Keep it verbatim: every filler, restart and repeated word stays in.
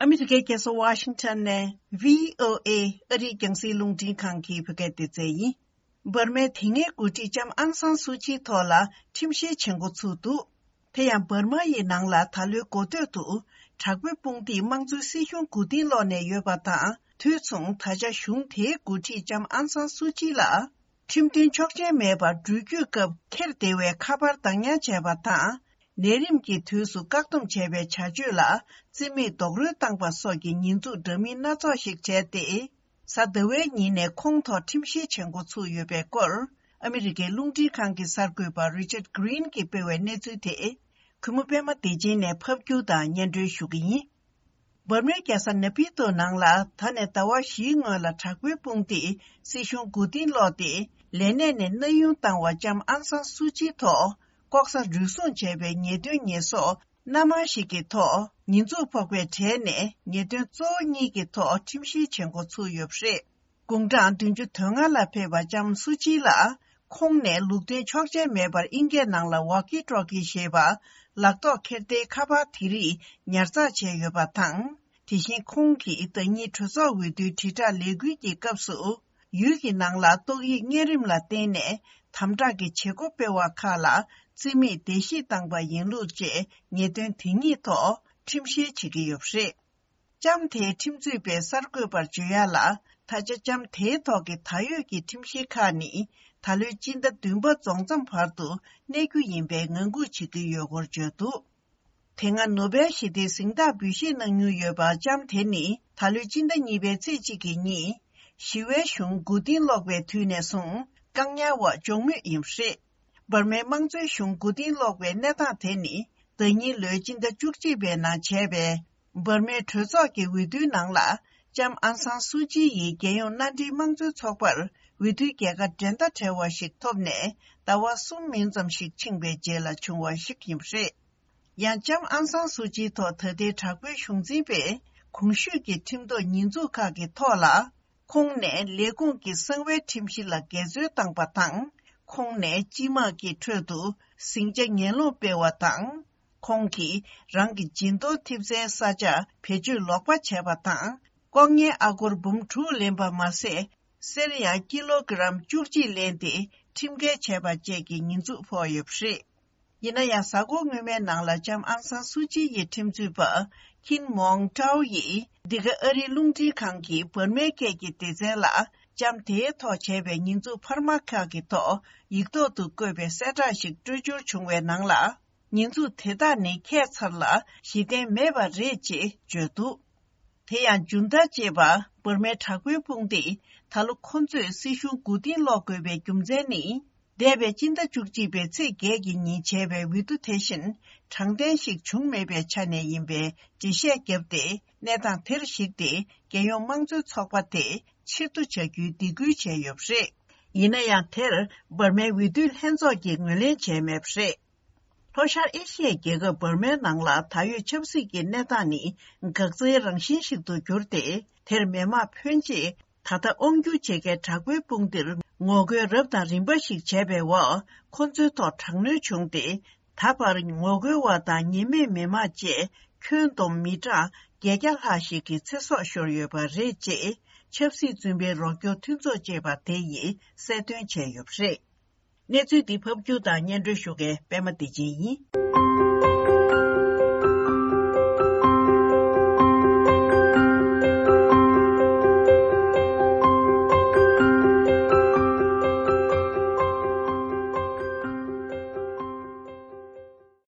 ཨ་མི་རི་ཀའི་རྒྱལ་ས་ཝ་ཤིང་ཊོན་ནས་བྷི་ཨོ་ཨེ་ཨ་རིའི་རྒྱང་སྲིང་རླུང་འཕྲིན་ཁང་གི་བོད་སྐད་སྡེ་ཚན་ཡིན། འབར་མའི་དེ་སྔའི་འགོ་ཁྲིད་ལྕམ་ཨང་སང་སུའུ་ཅིའི་ཐོག་ལ་ཁྲིམས་བཤེར་བྱེད་འགོ་ཚུགས་འདུག་དེ་ཡང་འབར་མ་ཡི་ནང་ལ་ད་ལོའི་འགོ་སྟོད་དུ་དྲག་པོའི་དཔུང་སྡེས་དམངས་གཙོའི་སྲིད་གཞུང་མགོ་རྟིང་སློག་ནས་ཡོད་པ་དང་། དུས་མཚུངས་ད་ཆ་གཞུང་དེའི་འགོ་ཁྲིད་ལྕམ་ཨང་སང་སུའུ་ཅི་ལ་ཁྲིམས་མཐུན་ཆོག་མཆན་མེད་པར་འགྲུལ་སྐྱོད་སྐབས་འཁྱེར་བདེ་བའི་ཁ་པར་བདག་ཉར་བྱས་པ་དང་། ལས་རིམ་གྱི་དུས་སུ་བཀག་སྡོམ་བྱས་པའི་བྱ་སྤྱོད་ལ་རྩིས་མེད་རྡོག་རོལ་བཏང་པ་སོགས་ཀྱི་ཉེས་འཛུགས་འདྲ་མིན་སྣ་ཚོགས་ཤིག་བྱས་ཏེ། གཟའ་ཟླ་བའི་ཉིན་ནས་ཁོང་ཐོག་ཁྲིམས་བཤེར་བྱེད་འགོ་ཚུགས་ཡོད་པའི་སྐོར། ཨ་མི་རི་ཀའི་རླུང་འཕྲིན་ཁང་གི་གསར་འགོད་པ་རི་ཅར་གྷི་རིན་གྱིས་སྤེལ་བའི་གནས་ཚུལ་དེ། གུས་མོ་པད་མ་བདེ་ཆེན་ནས་ཕབ་སྒྱུར་དང་སྙན་སྒྲོན་ཞུ་གི་ཡིན། འབར་མའི་རྒྱལ་ས་ནེ་པི་ཏོ་ནང་ལ་ད་ནས་ཟླ་བ་བཞིའི་སྔོན་ལ་དྲག་པོའི་དཔུང་སྡེས་སྲིད་གཞུང་མགོ་རྟིང་སློག་སྟེ། ལས་གནས་ནས་གནས་དབྱུང་བཏང་བ་ལྕམ་ཨང་སང་སུའུ་ཅིའི་ཐོག་ལྐོག་ཟ་རུལ་སུངས་བྱས་པའི་ཉེས་དོན་ཉེས་གསོག་སྣ་མང་ཞིག་གི་ཐོག་ཉེས་འཛུགས་ཕོག་པའི་གྲས་ནས་ཉེས་དོན་གཙོ་བོ་གཉིས་ཀྱི་ཐོག་ཁྲིམས་བཤེར་བྱེད་འགོ་ཚུགས་ཡོད་པ་རེད། དགུང་གྲངས་བདུན་ཅུ་དོན་ལྔ་ལ་ཕེབས་པ་ལྕམ་སུ་ཅི་ལགས་ཁོང་ནས་ལུགས་མཐུན་ཆོག་མཆན་མེད་པར་དབྱིན་སྐད་ནང་ལ་ཝོག་ཀི་ཊོག་ཀི་ཞེས་པ་ལག་ཐོགས་འཁྱེར་བདེའི་ཁ་པར་དེ་རིགས་ཉར་ཚགས་བྱས་ཡོད་པ་དང་། དེ་བཞིན་ཁོང་གིས་ཟླ་ཉིན་གྲོས་ཚོགས་འོས་བསྡུའི་དྲིལ་བསྒྲགས་ལས་འགུལ་གྱི་སྐབས་སུ། ཡུལ་གྱི་ནང་ལ་ཏོག་དབྱིབས་གཉན་རིམས་ལ་བརྟེན་ནས་དམ་དྲག་གི་བྱེད་སྒོ་སྤེལ་བ་ཁག་ལ་རྩིས་མེད་བརྡལ་བཤིག་བཏང་པ་ཡིན་ལུགས་བཅས་ཉེས་དོན་དེ་གཉིས་ཐོག་ཁྲིམས་བཤེར་བྱེད་ཀྱི་ཡོད་པ་རེད། ལྕམ་དེའི་ཁྲིམས་རྩོད་པས་གསར་འགོད་པར་བརྗོད་ཡ་ལ། ད་ཆ་ལྕམ་དེའི་ཐོག་གི་ད་ཡོད་ཀྱི་ཁྲིམས་བཤེར་ཁག་ནི་ད་ལོའི་སྤྱི་ཟླ་བདུན་པ་རྫོགས་མཚམས་བར་དུ་གནས་རྒྱུ་ཡིན་པའི་ངང་སྒུག་བྱེད་ཀྱི་ཡོད་སྐོར་བརྗོད་འདུག་དེ་སྔ་ནོ་བེལ་ཞི་བདེའི་གཟེངས་རྟགས་འབུལ་བཞེས་གནང་མྱོང་ཡོད་པ་ལྕམ་དེ་ནི་ད་ལོའི་སྤྱི་ཟླ་གཉིས་པའི་ཚེས་གཅིག་གི་ཉིན། ཞི་བའི་གཞུང་མགོ་རྟིང་སློག་པའི་དུས་ནས་བཟུང་བཀག་ཉར་འོག་འཇོག་མུས་ཡིན་པ་རེད། འབར་མའི་དམངས་གཙོའི་གཞུང་མགོ་རྟིང་སློག་པའི་གནས་སྟངས་དེ་ནི་ཟླ་ཉིན་ལོའི་སྤྱི་ཟླ་བཅུ་གཅིག་པའི་ནང་བྱས་པའི་འབར་མའི་གྲོས་ཚོགས་ཀྱི་འོས་བསྡུའི་ནང་ལ་ལྕམ་ཨང་སང་སུའུ་ཅི་ཡིས་རྒྱལ་ཡོངས་མནའ་འབྲེལ་དམངས་གཙོའི་ཚོགས་པར་འོས་བསྡུའི་རྒྱལ་ཁ་འགྲན་ཟླ་བྲལ་བ་ཞིག་ཐོབ་ནས་ཟླ་བ་གསུམ་མིན་ཙམ་ཞིག་ཕྱིན་པའི་རྗེས་ལ་བྱུང་བ་ཞིག་ཡིན་པ་རེད། ཡང་ལྕམ་ཨང་སང་སུའུ་ཅིའི་ཐོག་ད་ལྟའི་དྲག་པོའི་གཞུང་འཛིན་པས་གོང་ཞུས་ཀྱི་ཁྲིམས་ཐོག་ཉེས་འཛུགས་ཁག་གི་ཐོག་ལ། ཁོང་ནས་ལས་ཁུངས་ཀྱི་གསང་བའི་ཁྲིམས་གཞི་ལ་འགལ་འཛོལ་བཏང་པ་དང་། ཁོང་ནས་སྤྱི་དམངས་ཀྱི་ཁྲོད་དུ་ཟིང་ཆ་ངན་སློང་སྤེལ་བ་དང་། ཁོང་གིས་རང་གི་སྦྱིན་གཏོང་ཐེབས་རྩའི་ས་ཆ་བེད་སྤྱོད་ལོག་པ་བྱས་པ་དང་། ལྐོག་རྔན་ཨ་སྒོར་འབུམ་དྲུག་ལེན་པ་མ་ཟད། གསེར་ཡང་ཀི་ལོ་གི་རམ་བཅུ་གཅིག་ལེན་ཏེ་ཁྲིམས་འགལ་བྱས་པ་བཅས་ཀྱི་ཉེས་འཛུགས་ཕོག་ཡོད་པ་རེད། ཡིན་ན་ཡང་། གཟའ་འཁོར་སྔོན་མའི་ནང་ལ་ལྕམ་ཨང་སང་སུའུ་ཅི་ཡི་ཁྲིམས་རྩོད་པ་ཁིན་མོང་ཀྲའོ་ཡིས། འདི་ག་ཨ་རིའི་རླུང་འཕྲིན་ཁང་གིས་འབར་མའི་སྐད་ཀྱི་སྡེ་ཚན་ལ། ལྕམ་དེའི་ཐོག་བྱས་པའི་ཉེས་འཛུགས་འཕར་མ་ཁག་གི་ཐོག་ཡིག་ཐོག་ཏུ་བཀོད་པའི་གསལ་བསྒྲགས་ཤིག་སྤྲོད་འབྱོར་བྱུང་བའི་ནང་ལ། ཉེས་འཛུགས་དེ་དག་ནི་ཁྱད་མཚར་ལ་གཞི་རྟེན་མེད་པ་རེད་ཅེས་བརྗོད་འདུག་དེ་ཡང་ཇུན་ཏ་ཅེས་པ་འབར་མའི་དྲག་པོའི་དཔུང་སྡེས་ད་ལོ་ཁོ་ཚོས་སྲིད་གཞུང་མགོ་རྟིང་སློག་དགོས་པའི་རྒྱུ་མཚན་ནི། འདས་པའི་སྤྱི་ཟླ་བཅུ་གཅིག་པའི་ཚེས་བརྒྱད་ཀྱི་ཉིན་བྱས་པའི་འོས་བསྡུ་དེ་བཞིན་དྲང་བདེན་ཞིག་བྱུང་མེད་པའི་ཆ་ནས་ཡིན་པའི་འགྲེལ་བཤད་བརྒྱབ་སྟེ། གནས་སྟངས་དེར་གཞིགས་ཏེ་རྒྱལ་ཡོངས་དམངས་གཙོའི་ཚོགས་པ་དེ་ཕྱིར་བསྡུ་བྱ་རྒྱུའི་སྡིགས་སྐུལ་བྱས་ཡོད་པ་རེད། ཡིན་ན་ཡང་། དེར་འབར་མའི་འོས་བསྡུ་ལྷན་ཚོགས་ཀྱིས་ངོས་ལེན་བྱས་མེད་པ་རེད། ལྷོ་ཤར་ཨེ་ཤི་ཡའི་རྒྱལ་ཁབ་འབར་མའི་ནང་ལ་ད་ཡོད་ཆབ་སྲིད་ཀྱི་གནས་སྟངས་ནི་འགག་རྩའི་རང་བཞིན་ཞིག་ཏུ་གྱུར་ཏེ། དེར་མི་དམངས་ཕོན་ཆེས་ད་ལྟ་དབང་སྒྱུར་བྱེད་མཁན་དྲག་པོའི་དཔུང་སྡེར་ངོ་རྒོལ་རབ་དང་རིམ་པ་ཞིག་བྱས་པའི་འོག་ཁོ་ཚོའི་ཐོག་དྲག་གནོན་བྱུང་སྟེ། ད་བར་ངོ་རྒོལ་བ་དང་ཉེས་མེད་མི་དམངས་བཅས་ཁྱོན་བསྡོམས་མི་གྲངས་བརྒྱད་བརྒྱ་ལྷག་ཞིག་གི་ཚེ་སྲོག་ཤོར་ཡོད་པ་རེད་ཅེས་ཆབ་སྲིད་བཙོན་པའི་རོགས་སྐྱོར་མཐུན་ཚོགས་ཅེས་པ་དེ་ཡིས་གསལ་སྟོན་བྱས་ཡོད་པ་རེད། གནས་ཚུལ་འདི་ཕབ་སྒྱུར་དང་སྙན་སྒྲོན་ཞུ་མཁན་པད་མ་བདེ་ཆེན་ཡིན།